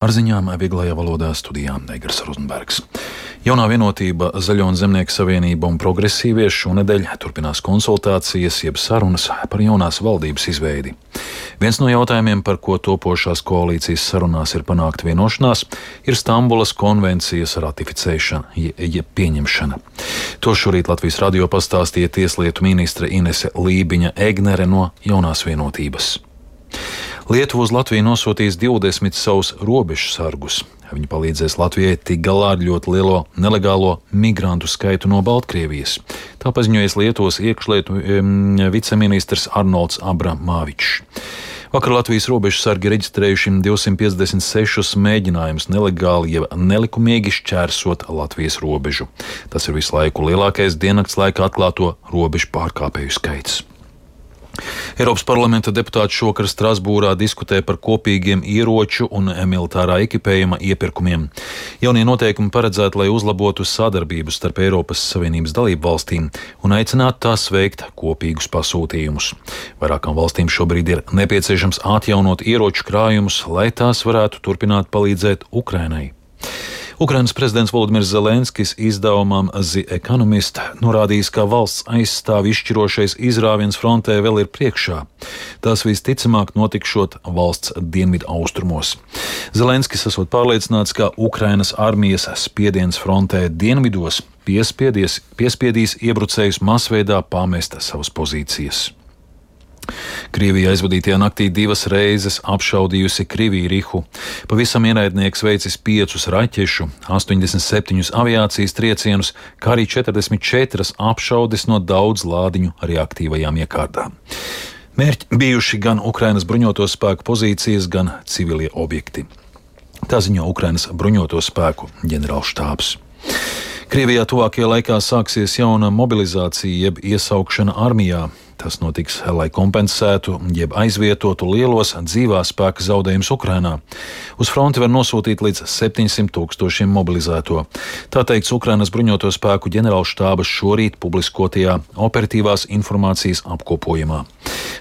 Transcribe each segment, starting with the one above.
Ar ziņām vieglajā valodā studijā Eigars Rozenbergs. Jaunā vienotība, Zaļo un Zemnieku savienība un progresīvie šonedēļ turpinās konsultācijas jeb sarunas par jaunās valdības izveidi. Viens no jautājumiem, par ko topošās koalīcijas sarunās ir panākta vienošanās, ir Stambulas konvencijas ratificēšana jeb pieņemšana. To šorīt Latvijas radio pastāstīja tieslietu ministre Inese Lībiņa-Egnere no Jaunās vienotības. Lietuva uz Latviju nosūtīs 20 savus robežu sargus. Viņi palīdzēs Latvijai tikt galā ar ļoti lielo nelegālo migrantu skaitu no Baltkrievijas. Tā paziņojas Lietuvas iekšlietu viceministrs Arnolds Abramāvičs. Vakar Latvijas robežu sargi reģistrējuši 256 mēģinājumus nelegāli jeb nelikumīgi šķērsot Latvijas robežu. Tas ir visu laiku lielākais diennakts laikā atklāto robežu pārkāpēju skaits. Eiropas parlamenta deputāti šovakar Strasbūrā diskutē par kopīgiem ieroču un militārā ekipējuma iepirkumiem. Jaunie noteikumi paredzēti, lai uzlabotu sadarbību starp Eiropas Savienības dalību valstīm un aicinātu tās veikt kopīgus pasūtījumus. Vairākām valstīm šobrīd ir nepieciešams atjaunot ieroču krājumus, lai tās varētu turpināt palīdzēt Ukrainai. Ukrainas prezidents Volodimirs Zelenskis izdevumam The Economist norādījis, ka valsts aizstāv izšķirošais izrāviens frontē vēl ir priekšā. Tas visticamāk notikšot valsts dienvidu austrumos. Zelenskis esot pārliecināts, ka Ukrainas armijas spiediens frontē dienvidos piespiedīs iebrucējus masveidā pamest savas pozīcijas. Krievija aizvadītajā naktī 2 reizes apšaudījusi Krivīrihu. Pavisam ienaidnieks veicis 5 raķešu, 87 aviācijas triecienus, kā arī 44 apšaudes no daudz lādiņu reaktīvajām iekārtām. Mērķi bijuši gan Ukrainas bruņoto spēku pozīcijas, gan civilie objekti. Tā ziņo Ukrainas bruņoto spēku ģenerālštābs. Krievijā tuvākajā laikā sāksies jauna mobilizācija jeb iesaukšana armijā. Tas notiks, lai kompensētu jeb aizvietotu lielos dzīvā spēka zaudējumus Ukrainā. Uz fronti var nosūtīt līdz 700 000 mobilizēto. Tā teikts Ukrainas bruņoto spēku ģenerālštāba šorīt publiskotajā operatīvās informācijas apkopojumā.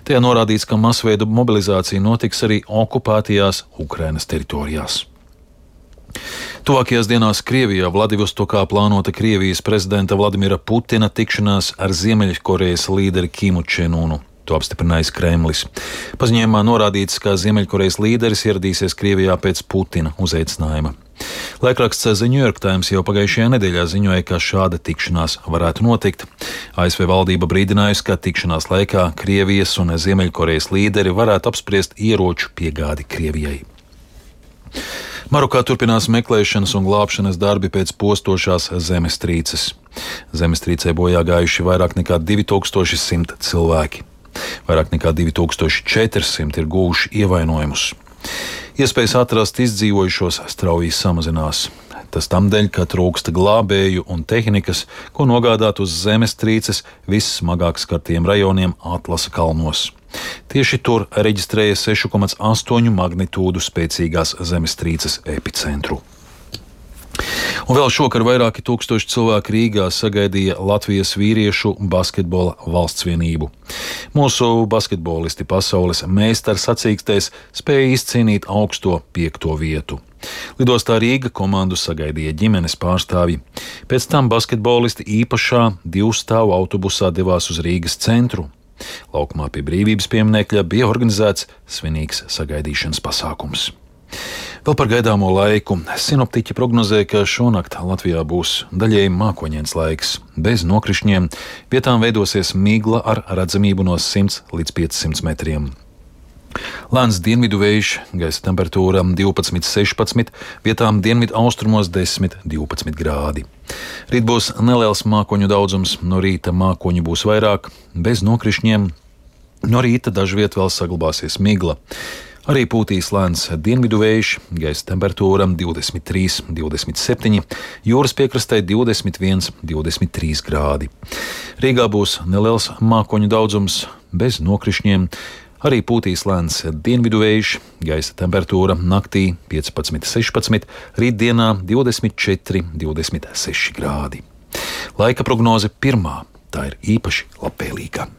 Tajā norādīts, ka masveida mobilizācija notiks arī okupētajās Ukrainas teritorijās. Tuvākajās dienās Krievijā Vladivostokā plānota Krievijas prezidenta Vladimira Putina tikšanās ar Ziemeļkorejas līderi Kimu Čenunu. To apstiprinājis Kremlis. Paziņojumā norādīts, ka Ziemeļkorejas līderis ieradīsies Krievijā pēc Putina uzaicinājuma. Laikraksts The New York Times jau pagājušajā nedēļā ziņoja, ka šāda tikšanās varētu notikt. ASV valdība brīdinājusi, ka tikšanās laikā Krievijas un Ziemeļkorejas līderi varētu apspriest ieroču piegādi Krievijai. Marokā turpinās meklēšanas un glābšanas darbi pēc postošās zemestrīces. Zemestrīcē bojā gājuši vairāk nekā 2100 cilvēki. Vairāk nekā 2400 ir guvuši ievainojumus. Iespējas atrast izdzīvojušos strauji samazinās. Tas tamdēļ, ka trūksta glābēju un tehnikas, ko nogādāt uz zemestrīces vissmagāk skartiem rajoniem Atlasa kalnos. Tieši tur reģistrēja 6,8 magnitūdu spēcīgās zemestrīces epicentru. Un vēl šokar vairāki tūkstoši cilvēku Rīgā sagaidīja Latvijas vīriešu basketbola valstsvienību. Mūsu basketbolisti pasaules meistara sacīkstēs spēja izcīnīt augsto 5. vietu. Lidostā Rīga komandu sagaidīja ģimenes pārstāvji. Pēc tam basketbolisti īpašā 2-stāvu autobusā devās uz Rīgas centru. Laukumā pie Brīvības pieminekļa bija organizēts svinīgs sagaidīšanas pasākums. Vēl par gaidāmo laiku. Sinoptiķi prognozē, ka šonakt Latvijā būs daļēji mākoņains laiks, bez nokrišņiem, vietām veidosies migla ar redzamību no 100 līdz 500 metriem. Lēns dienvidu vējš, gaisa temperatūra 12–16, vietām dienvidu austrumos 10–12 grādi. Rīt būs neliels mākoņu daudzums, no rīta mākoņu būs vairāk, bez nokrišņiem. No rīta dažviet vēl saglabāsies migla. Arī pūtīs lēns dienvidu vējš, gaisa temperatūra 23–27, jūras piekrastē 21–23 grādi. Rīgā būs neliels mākoņu daudzums, bez nokrišņiem. Arī pūtīs lēns dienvidu vējš, gaisa temperatūra naktī 15–16, rītdienā 24–26 grādi. Laika prognoze pirmā, tā ir īpaši labvēlīga.